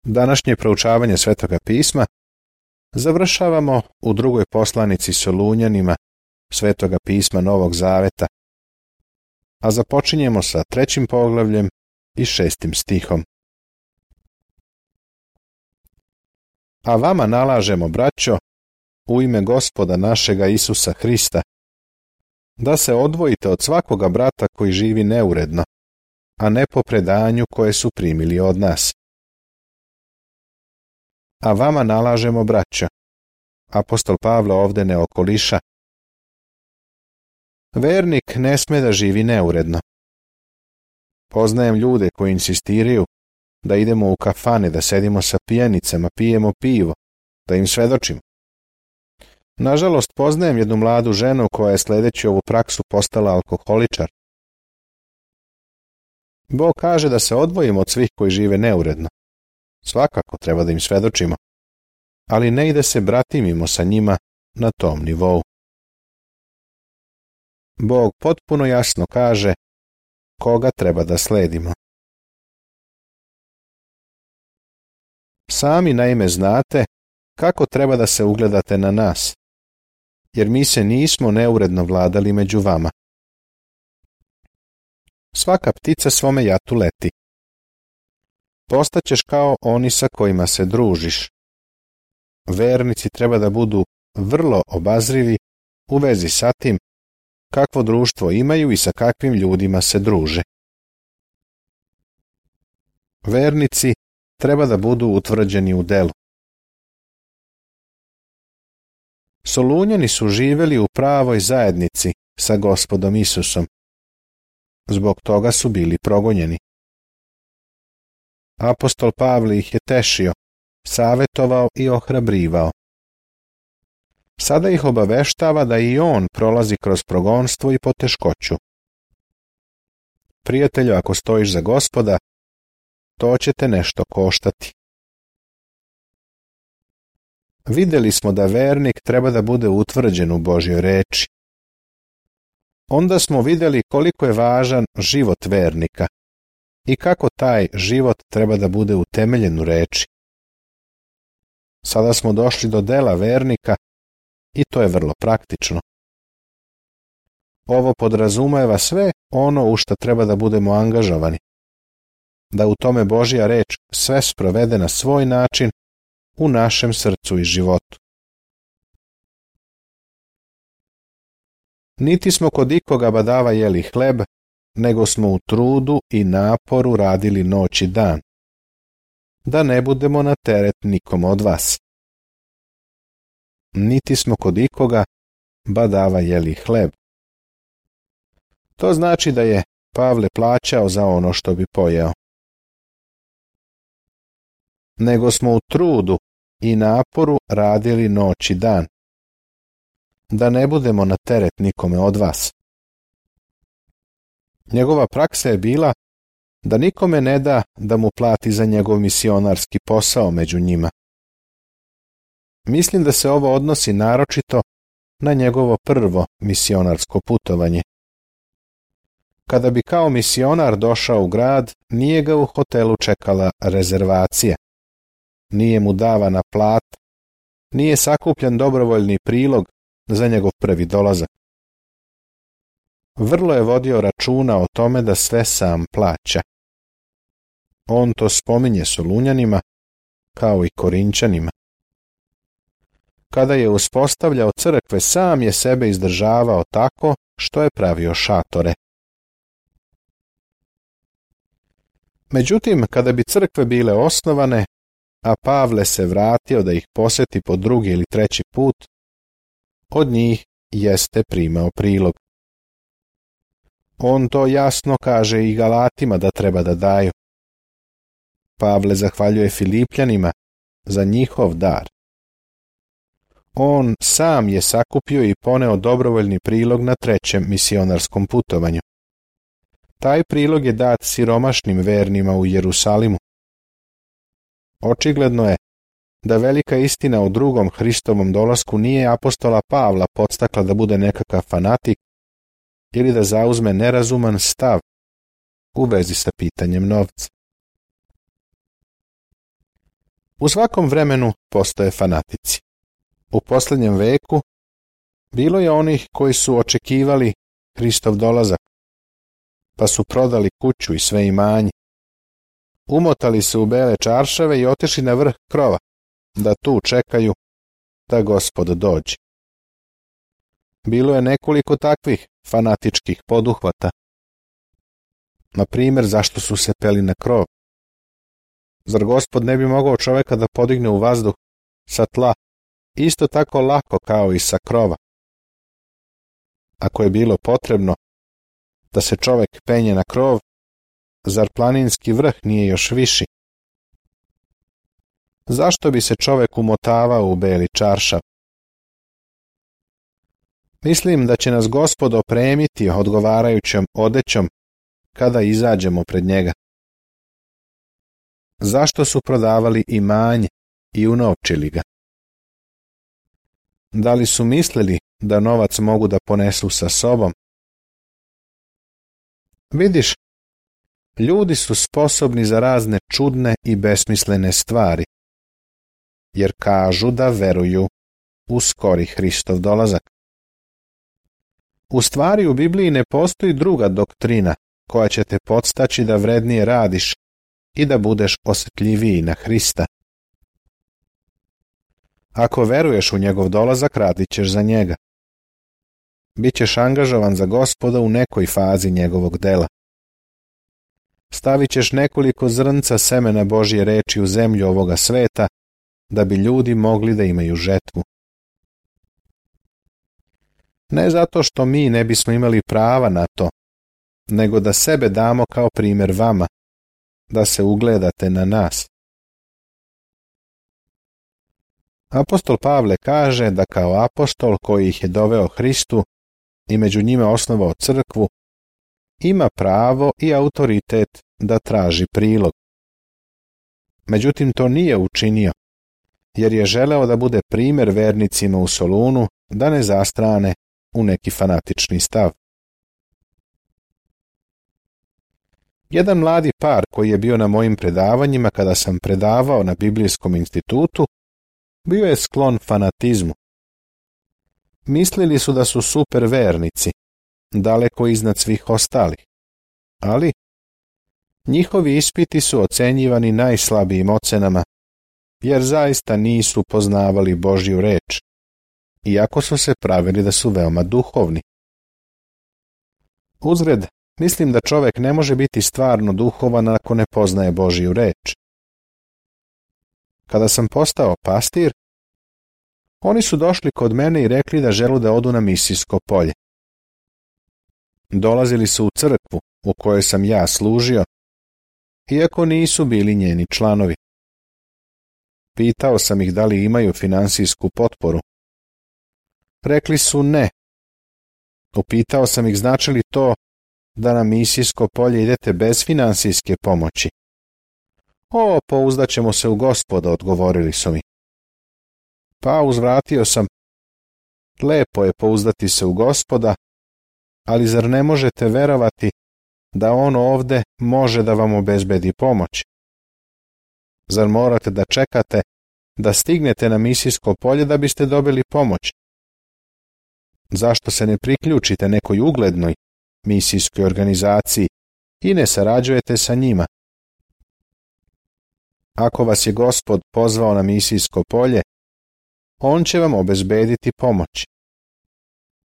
Današnje proučavanje Svetoga pisma završavamo u drugoj poslanici Solunjanima Svetoga pisma Novog Zaveta, a započinjemo sa 3. poglavljem i 6. stihom. A vama nalažemo, braćo, u ime Gospoda našega Isusa Hrista, da se odvojite od svakoga brata koji živi neuredno, a ne po predanju koje su primili od nas. A vama nalažemo, braćo. Apostol Pavle ovde ne okoliša. Vernik ne sme da živi neuredno. Poznajem ljude koji insistiraju da idemo u kafane, da sedimo sa pijanicama, pijemo pivo, da im svedočimo. Nažalost, poznajem jednu mladu ženu koja je sledeći ovu praksu postala alkoholičar. Bog kaže da se odvojimo od svih koji žive neuredno. Svakako treba da im svedočimo, ali ne i da se bratimimo sa njima na tom nivou. Bog potpuno jasno kaže koga treba da sledimo. Sami naime znate kako treba da se ugledate na nas, jer mi se nismo neuredno vladali među vama. Svaka ptica svome jatu leti. Postaćeš kao oni sa kojima se družiš. Vernici treba da budu vrlo obazrivi u vezi sa tim kakvo društvo imaju i sa kakvim ljudima se druže. Vernici treba da budu utvrđeni u delu. Solunjani su živeli u pravoj zajednici sa Gospodom Isusom. Zbog toga su bili progonjeni. Apostol Pavle ih je tešio, savetovao i ohrabrivao. Sada ih obaveštava da i on prolazi kroz progonstvo i poteškoću. Prijatelju, ako stojiš za Gospoda, to će te nešto koštati. Videli smo da vernik treba da bude utvrđen u Božjoj reči. Onda smo videli koliko je važan život vernika i kako taj život treba da bude utemeljen u reči. Sada smo došli do dela vernika i to je vrlo praktično. Ovo podrazumeva sve ono u što treba da budemo angažovani, da u tome Božja reč sve sprovede na svoj način u našem srcu i životu. Niti smo kod ikoga badava jeli hleb, nego smo u trudu i naporu radili noć i dan, da ne budemo na teret nikom od vas. Niti smo kod ikoga badava jeli hleb. To znači da je Pavle plaćao za ono što bi pojeo. Nego smo u trudu i naporu radili noć i dan, da ne budemo na teret nikome od vas. Njegova praksa je bila da nikome ne da da mu plati za njegov misionarski posao među njima. Mislim da se ovo odnosi naročito na njegovo prvo misionarsko putovanje. Kada bi kao misionar došao u grad, nije ga u hotelu čekala rezervacija, nije mu davana plata, nije sakupljen dobrovoljni prilog za njegov prvi dolazak. Vrlo je vodio računa o tome da sve sam plaća. On to spominje Solunjanima kao i Korinćanima. Kada je uspostavljao crkve, sam je sebe izdržavao tako što je pravio šatore. Međutim, kada bi crkve bile osnovane, a Pavle se vratio da ih poseti po drugi ili treći put, od njih jeste primao prilog. On to jasno kaže i Galatima da treba da daju. Pavle zahvaljuje Filipljanima za njihov dar. On sam je sakupio i poneo dobrovoljni prilog na trećem misionarskom putovanju. Taj prilog je dat siromašnim vernima u Jerusalimu. Očigledno je da velika istina o drugom Hristovom dolasku nije apostola Pavla podstakla da bude nekakav fanatik ili da zauzme nerazuman stav u vezi sa pitanjem novca. U svakom vremenu postoje fanatici. U posljednjem veku bilo je onih koji su očekivali Hristov dolazak, pa su prodali kuću i sve imanje. Umotali se u bele čaršave i otišli na vrh krova, da tu čekaju da Gospod dođe. Bilo je nekoliko takvih fanatičkih poduhvata. Na primjer, zašto su se peli na krov? Zar Gospod ne bi mogao čovjeka da podigne u vazduh sa tla isto tako lako kao i sa krova? Ako je bilo potrebno da se čovjek penje na krov, zar planinski vrh nije još viši? Zašto bi se čovjek umotavao u beli čaršav? Mislim da će nas Gospod opremiti odgovarajućom odećom kada izađemo pred njega. Zašto su prodavali imanje i unovčili ga? Da li su mislili da novac mogu da ponesu sa sobom? Vidiš, ljudi su sposobni za razne čudne i besmislene stvari, jer kažu da veruju u skori Hristov dolazak. U stvari u Bibliji ne postoji druga doktrina koja će te podstaći da vrednije radiš i da budeš osjetljiviji na Hrista. Ako veruješ u njegov dolazak, radit ćeš za njega. Bićeš angažovan za Gospoda u nekoj fazi njegovog dela. Stavit ćeš nekoliko zrnca semena Božje reči u zemlju ovoga sveta, da bi ljudi mogli da imaju žetvu. Ne zato što mi ne bismo imali prava na to, nego da sebe damo kao primjer vama, da se ugledate na nas. Apostol Pavle kaže da kao apostol koji ih je doveo Hristu i među njima osnovao crkvu, ima pravo i autoritet da traži prilog. Međutim, to nije učinio, jer je želeo da bude primjer vernicima u Solunu, da ne zastrane u neki fanatični stav. Jedan mladi par koji je bio na mojim predavanjima kada sam predavao na Biblijskom institutu, bio je sklon fanatizmu. Mislili su da su super vernici, daleko iznad svih ostalih, ali njihovi ispiti su ocenjivani najslabijim ocenama, jer zaista nisu poznavali Božju reč, iako su se pravili da su veoma duhovni. Uzgred, mislim da čovjek ne može biti stvarno duhovan ako ne poznaje Božju reč. Kada sam postao pastir, oni su došli kod mene i rekli da žele da odu na misijsko polje. Dolazili su u crkvu u kojoj sam ja služio, iako nisu bili njeni članovi. Pitao sam ih da li imaju finansijsku potporu. Rekli su ne. Upitao sam ih znači li to da na misijsko polje idete bez finansijske pomoći. Pouzdaćemo se u Gospoda, odgovorili su mi. Pa uzvratio sam, lepo je pouzdati se u Gospoda, ali zar ne možete verovati da on ovde može da vam obezbedi pomoć? Zar morate da čekate da stignete na misijsko polje da biste dobili pomoć? Zašto se ne priključite nekoj uglednoj misijskoj organizaciji i ne sarađujete sa njima? Ako vas je Gospod pozvao na misijsko polje, on će vam obezbediti pomoć.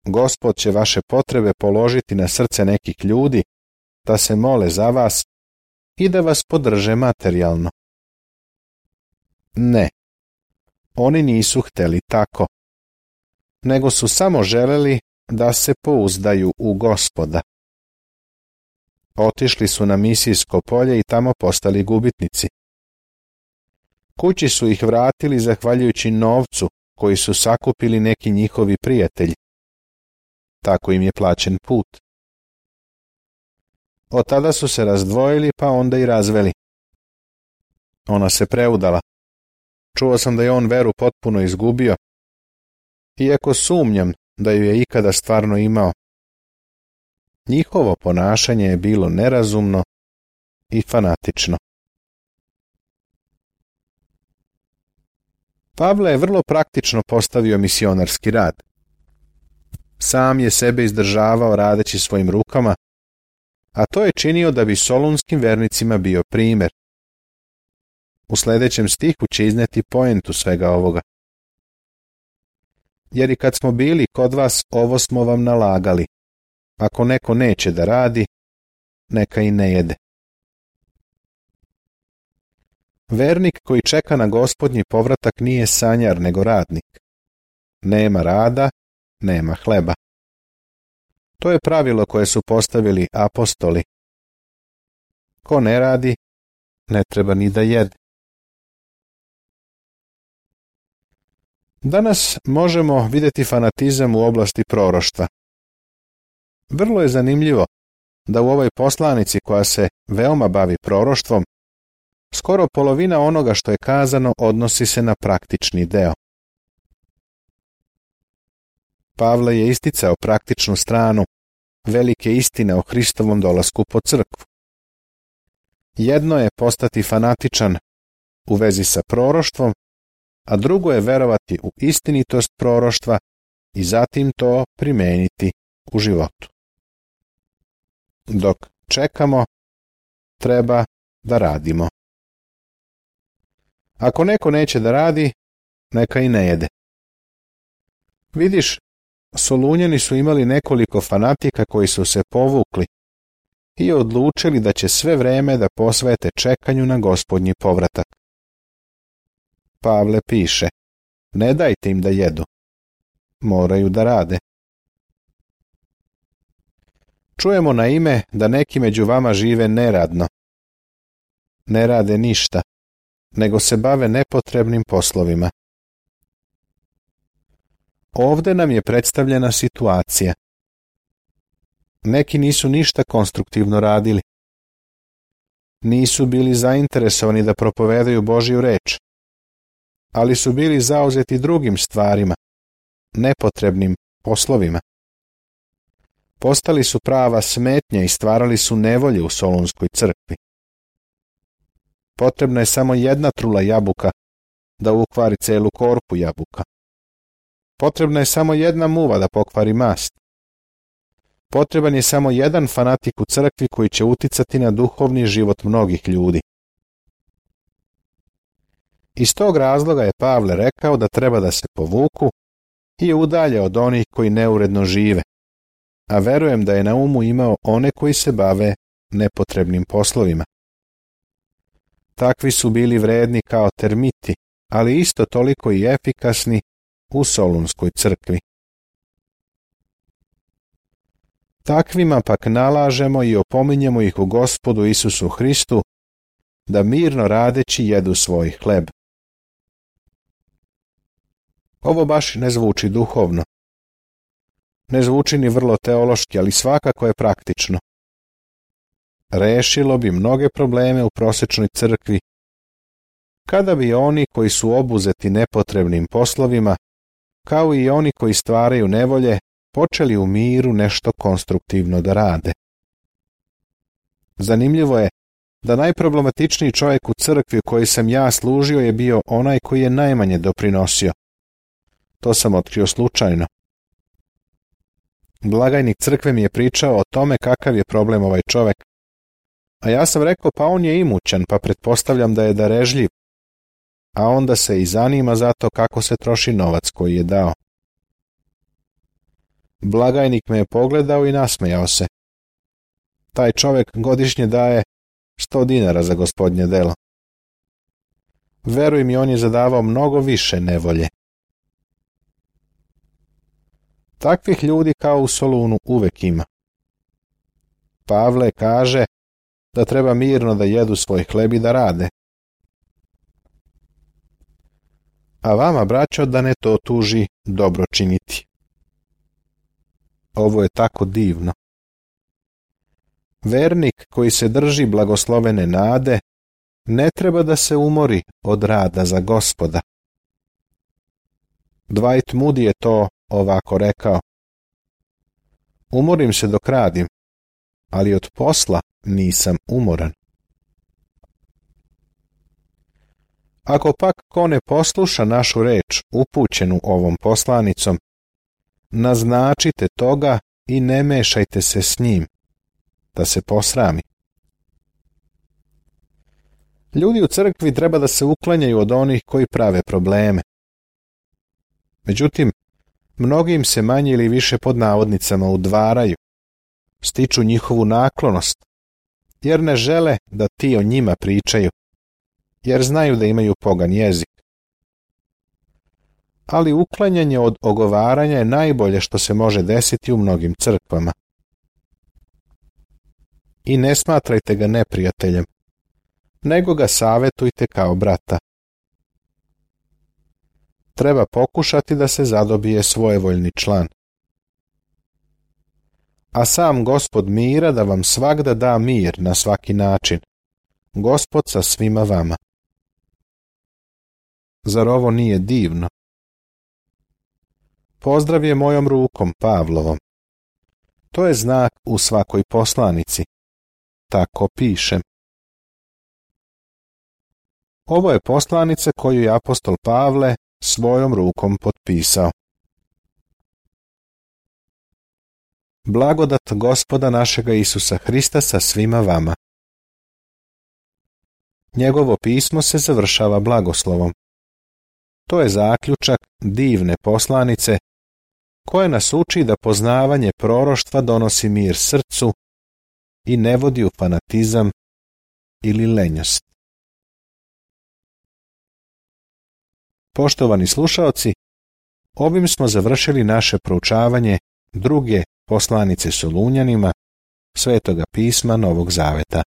Gospod će vaše potrebe položiti na srce nekih ljudi, da se mole za vas i da vas podrže materijalno. Ne, oni nisu hteli tako, nego su samo želeli da se pouzdaju u Gospoda. Otišli su na misijsko polje i tamo postali gubitnici. Kući su ih vratili zahvaljujući novcu koji su sakupili neki njihovi prijatelji. Tako im je plaćen put. Od tada su se razdvojili, pa onda i razveli. Ona se preudala. Čuo sam da je on veru potpuno izgubio, iako sumnjam da ju je ikada stvarno imao. Njihovo ponašanje je bilo nerazumno i fanatično. Pavle je vrlo praktično postavio misionarski rad. Sam je sebe izdržavao radeći svojim rukama, a to je činio da bi solunskim vernicima bio primjer. U sljedećem stihu će izneti poentu svega ovoga. Jer i kad smo bili kod vas, ovo smo vam nalagali. Ako neko neće da radi, neka i ne jede. Vernik koji čeka na Gospodnji povratak nije sanjar, nego radnik. Nema rada, nema hleba. To je pravilo koje su postavili apostoli. Ko ne radi, ne treba ni da jede. Danas možemo vidjeti fanatizam u oblasti proroštva. Vrlo je zanimljivo da u ovoj poslanici koja se veoma bavi proroštvom, skoro polovina onoga što je kazano odnosi se na praktični deo. Pavle je isticao praktičnu stranu velike istine o Hristovom dolasku po crkvu. Jedno je postati fanatičan u vezi sa proroštvom, a drugo je verovati u istinitost proroštva i zatim to primijeniti u životu. Dok čekamo, treba da radimo. Ako neko neće da radi, neka i ne jede. Vidiš, Solunjani su imali nekoliko fanatika koji su se povukli i odlučili da će sve vreme da posvete čekanju na Gospodnji povratak. Pavle piše, ne dajte im da jedu, moraju da rade. Čujemo na ime da neki među vama žive neradno. Ne rade ništa, nego se bave nepotrebnim poslovima. Ovdje nam je predstavljena situacija. Neki nisu ništa konstruktivno radili. Nisu bili zainteresovani da propovedaju Božju reč, ali su bili zauzeti drugim stvarima, nepotrebnim poslovima. Postali su prava smetnja i stvarali su nevolje u Solunskoj crkvi. Potrebna je samo jedna trula jabuka da ukvari celu korpu jabuka. Potrebna je samo jedna muva da pokvari mast. Potreban je samo jedan fanatik u crkvi koji će uticati na duhovni život mnogih ljudi. Iz tog razloga je Pavle rekao da treba da se povuku i udalje od onih koji neuredno žive, a verujem da je na umu imao one koji se bave nepotrebnim poslovima. Takvi su bili vredni kao termiti, ali isto toliko i efikasni u Solunskoj crkvi. Takvima pak nalažemo i opominjemo ih u Gospodu Isusu Hristu da mirno radeći jedu svoj hleb. Ovo baš ne zvuči duhovno. Ne zvuči ni vrlo teološki, ali svakako je praktično. Rešilo bi mnoge probleme u prosečnoj crkvi, kada bi oni koji su obuzeti nepotrebnim poslovima, kao i oni koji stvaraju nevolje, počeli u miru nešto konstruktivno da rade. Zanimljivo je da najproblematičniji čovjek u crkvi u kojoj sam ja služio je bio onaj koji je najmanje doprinosio. To sam otkrio slučajno. Blagajnik crkve mi je pričao o tome kakav je problem ovaj čovjek, a ja sam rekao pa on je imućan, pa pretpostavljam da je darežljiv, a onda se i zanima za to kako se troši novac koji je dao. Blagajnik me je pogledao i nasmejao se. Taj čovjek godišnje daje 100 dinara za Gospodnje delo. Veruj mi, on je zadavao mnogo više nevolje. Takvih ljudi kao u Solunu uvek ima. Pavle kaže da treba mirno da jedu svoj hleb i da rade. A vama, braćo, da ne to tuži dobro činiti. Ovo je tako divno. Vernik koji se drži blagoslovene nade ne treba da se umori od rada za Gospoda. Dwight Moody je to ovako rekao: umorim se dok radim, ali od posla nisam umoran. Ako pak ko ne posluša našu reč upućenu ovom poslanicom, naznačite toga i ne mešajte se s njim, da se posrami. Ljudi u crkvi treba da se uklanjaju od onih koji prave probleme. Međutim, mnogim se manje ili više pod navodnicama udvaraju, stiču njihovu naklonost, jer ne žele da ti o njima pričaju, jer znaju da imaju pogan jezik. Ali uklanjanje od ogovaranja je najbolje što se može desiti u mnogim crkvama. I ne smatrajte ga neprijateljem, nego ga savetujte kao brata. Treba pokušati da se zadobije svojevoljni član. A sam Gospod mira da vam svagda da mir na svaki način, Gospod sa svima vama. Zar ovo nije divno? Pozdrav je mojom rukom Pavlovom. To je znak u svakoj poslanici. Tako pišem. Ovo je poslanica koju je apostol Pavle svojom rukom potpisao. Blagodat Gospoda našega Isusa Hrista sa svima vama. Njegovo pismo se završava blagoslovom. To je zaključak divne poslanice koja nas uči da poznavanje proroštva donosi mir srcu i ne vodi u fanatizam ili lenjost. Poštovani slušaoci, ovim smo završili naše proučavanje druge poslanice Solunjanima, Svetoga pisma Novog Zaveta.